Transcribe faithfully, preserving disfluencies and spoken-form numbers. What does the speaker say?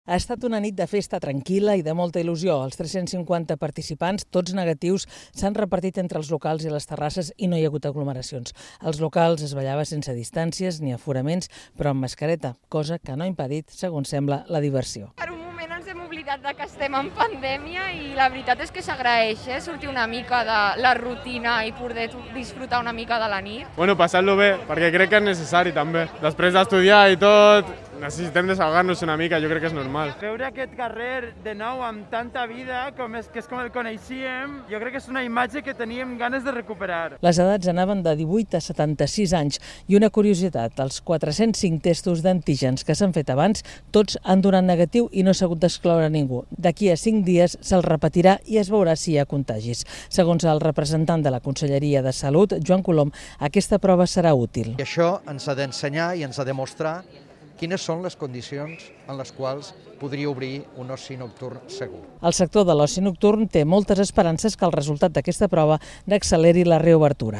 Ha estat una nit de festa tranquil·la i de molta il·lusió. Els tres-cents cinquanta participants, tots negatius, s'han repartit entre els locals i les terrasses i no hi ha hagut aglomeracions. Als locals es ballava sense distàncies ni aforaments, però amb mascareta, cosa que no ha impedit, segons sembla, la diversió. Per un moment ens hem oblidat de que estem en pandèmia i la veritat és que s'agraeix, eh? Sortir una mica de la rutina i poder disfrutar una mica de la nit. Bueno, passar-lo bé, perquè crec que és necessari també. Després d'estudiar i tot, necessitem desahogar-nos una mica, jo crec que és normal. Veure aquest carrer de nou amb tanta vida, com és, que és com el coneixíem, jo crec que és una imatge que teníem ganes de recuperar. Les edats anaven de divuit a setanta-sis anys i una curiositat, els quatre-cents cinc testos d'antígens que s'han fet abans, tots han donat negatiu i no s'ha hagut d'excloure ningú. D'aquí a cinc dies se'ls repetirà i es veurà si hi ha contagis. Segons el representant de la Conselleria de Salut, Joan Colom, aquesta prova serà útil. I això ens ha d'ensenyar i ens ha de mostrar quines són les condicions en les quals podria obrir un oci nocturn segur. El sector de l'oci nocturn té moltes esperances que el resultat d'aquesta prova n'acceleri la reobertura.